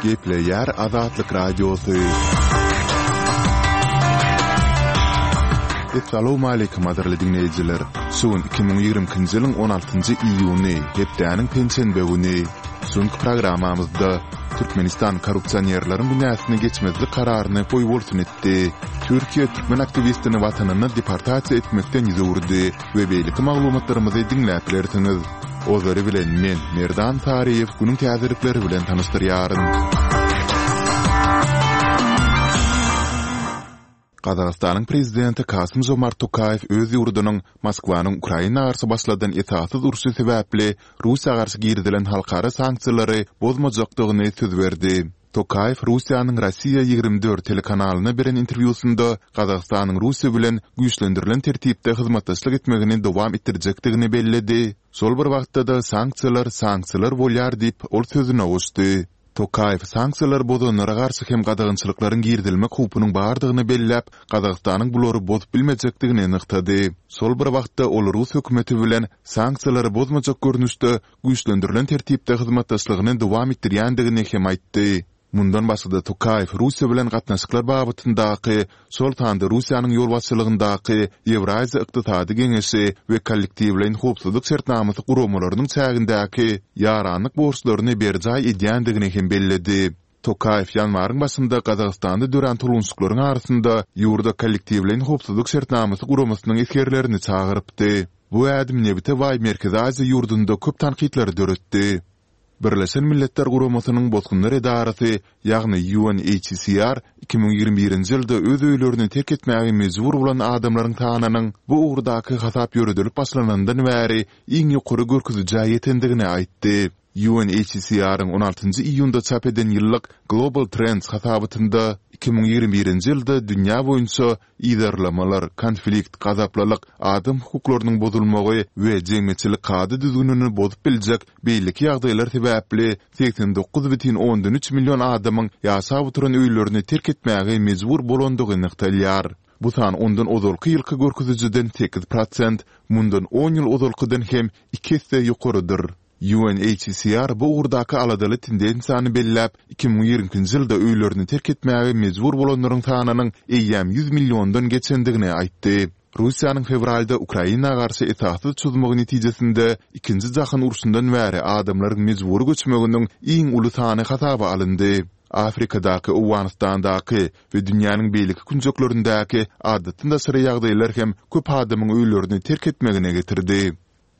Gepleýär Azatlyk Radiosy. Essalawmaleýkim gadyrly diňleýjiler! Şu gün 2022-nji ýylyň 16-njy iýuny, hepdäniň penşenbe güni. Şu günki programmamyzda Türkmenistan korrupsionerleriň günäsini geçmezlik kararyny goýbolsun etdi. Türkiýe türkmen aktiwistini watanyna deportasiýa etmekden ýüz öwürdi we beýleki maglumatlarymyzy diňläp bilersiňiz. Ozaly bilen men, Merdan Saryýew günüň täzelikleri bilen tanyşdyrýaryn. Gazagystanyň prezidenti Kasym-Žomart Tokaýew öz ýurdunyň Moskwanyň Ukraina garşy başladan esassyz urşy sebäpli Russiýa garşy girizilen halkara sanksiýalary bozmajakdygyny söz berdi. Tokaýew Russiýanyň Rossiýa 24 telekanalyna beren interwýusynda Gazagystanyň Russiýa bilen güýçlendirilen tertipde hyzmatdaşlyk etmegini dowam etdirjekdigini belledi, şol bir wagtda-da sanksiýalar sanksiýalar bolýar diýip, ol sözüne goşdy. Tokaýew sanksiýalary bozanlara garşy hem gadagançylyklaryň girizilmek howpunyň bardygyny belläp, Gazagystanyň bulary bozup bilmejekdigini nygtady. Şol bir wagtda ol rus hökümeti bilen sanksiýalary bozmajak görnüşde güýçlendirilen tertipde hyzmatdaşlygyny dowam etdirýändigini hem aýtdy. Mundan başga-da Tokaýew Russiýa bilen gatnaşyklar babatyndaky, şol sanda Russiýanyň ýolbaşçylygyndaky Ýewraziýa Ykdysady Geňeşi we Kollektiwleýin Howpsuzlyk Şertnamasy guramalarynyň çägindäki ýaranlyk borçlaryny berjaý edýändigini hem belledi. Tokaýew ýanwaryň başynda Gazagystanda dörän tolgunşyklaryň arasynda ýurda Kollektiwleýin Howpsuzlyk Şertnamasy guramasynyň esgerlerini çagyrypdy. Bu ädim nebite baý Merkezi Aziýa ýurdunda köp tankytlary döretdi. Birleşen Milletler Guramasynyň Bosgunlar edarasy, ýagny UNHCR 2021-nji ýylda öz öýlerini terk etmäge mejbur bolan adamlaryň sanynyň bu ugurdaky hasap ýöredilip başlanandan bäri iň ýokary görkezijä ýetendigini aýtdy. UNHCR-iň on altynjy iýunda çap eden ýyllyk Global Trends hasabatynda 2021-nji ýylda dünýä boýunça Yzarlamalar, konflikt, gazaplylyk, adam hukuklarynyň bozulmagy we jemgyýetçilik kada-düzgünini bozup biljek beýleki ýagdaýlar sebäpli 89,3 million adamyň ýaşap oturan öýlerini terk etmäge mejbur bolandygy nygtalýar. Bu san ondan ozalky ýylky görkezijiden 8%, mundan on ýyl ozalkydan hem iki esse ýokarydyr. UNHCR bu ugurdaky aladaly tendensiýany belläp, 2022-nji ýylda öýlerini terk etmäge mejbur bolanlaryň sanynyň eýýäm 100 milliondan geçendigini aýtdy. Russiýanyň fewralda Ukraina garşy esassyz çozmagy netijesinde Ikinji jahan urşundan bäri adamlaryň mejbury göçmeginiň iň uly sany hasaba alyndy. Afrikadaky, Owganystandaky we dünýäniň beýleki künjeklerindäki adatdan daşary ýagdaýlar hem köp adamyň öýlerini terk etmegine getirdi.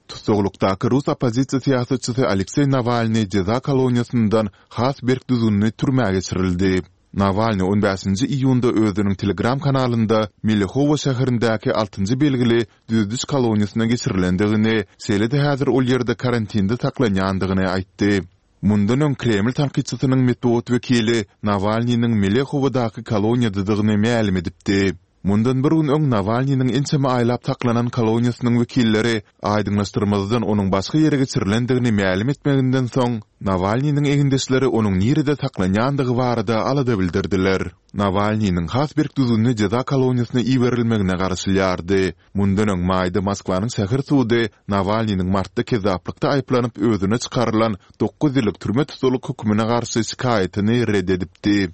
Tussaglykdaky rus oppozisiýa syýasatçysy Alekseý Nawalnyý jeza koloniýasyndan has berk düzgünli türmä geçirildi. Nawalnyý on bäşinji iýunda özüniň Telegram kanalynda Melehowo şäherindäki altynjy belgili düzediş koloniýasyna geçirilendigini, şeýle-de häzir ol ýerde karantinde saklanýandygyny aýtdy. Mundan öň Kreml tankytçysynyň metbugat wekili Nawalnynyň Melehowodaky koloniýadadygyny mälim edipdi. Mundan bir gün öň Nawalnynyň ençeme aýlap saklanan koloniýasynyň wekilleri aýdyňlaşdyrmazdan onuň başga ýere geçirilendigini mälim etmeginden soň, Nawalnynyň egindeşleri onuň nirede saklanýandygy barada alada bildirdiler. Nawalnynyň has berk düzgünli jeza koloniýasyna iberilmegine garaşylýardy. Mundan öň maýda Moskwanyň şäher sudy Nawalnynyň martda kezzaplykda aýyplanyp özüne çykarylan dokuz ýyllyk türme tussaglyk hökümine garşy şikaýatyny ret edipdi.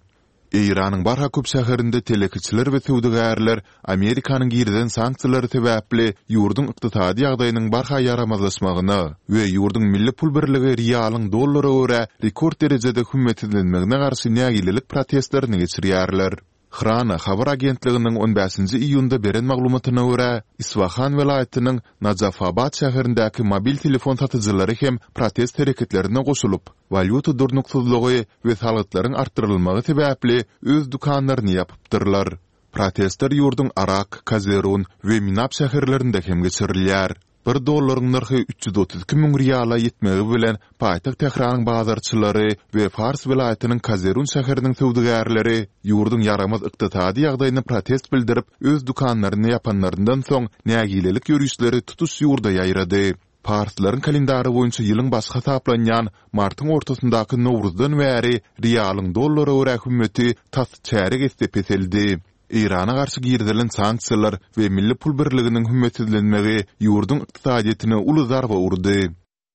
Eýranyň barha köp şäherinde telekeçiler we söwdagärler Amerikanyň girizen sanksiýalary sebäpli ýurduň ykdysady ýagdaýynyň barha ýaramazlaşmagyna we ýurduň milli pul birligi rialyň dollara görä rekord derejede hümmetsizlenmegine garşy nägilelik protestlerini geçirýärler. Hrana habar agentliginiň on bäşinji iýunda beren maglumatyna görä, Isfahan welaýatynyň Najafabad şäherindäki mobil telefon satyjylary hem protest hereketlerine goşulyp, walýuta durnuksyzlygy we salgytlaryň artdyrylmagy sebäpli öz dükanlaryny ýapypdyrlar. Protestler ýurduň Arak, Kazerun we Minab şäherlerinde hem geçirilýär. Bir dollaryň nyrhy 332 müň riala ýetmegi bilen paýtagt Tähranyň bazarçylary we Fars welaýatynyň Kazerun şäheriniň söwdagärleri ýurduň ýaramaz ykdysady ýagdaýyna protest bildirip, öz dükanlaryny ýapanlaryndan soň nägilelik ýörişleri tutuş ýurda ýaýrady. Parslaryň kalendary boýunça ýylyň başy hasaplanýan martyň ortasyndaky Nowruzdan bäri rialyň dollara görä hümmeti tas çärýek esse peseldi. Eýrana garşy girizilen sanksiýalar we milli pul birliginiň hümmetsizlenmegi ýurduň ykdysadyýetine uly zarba urdy.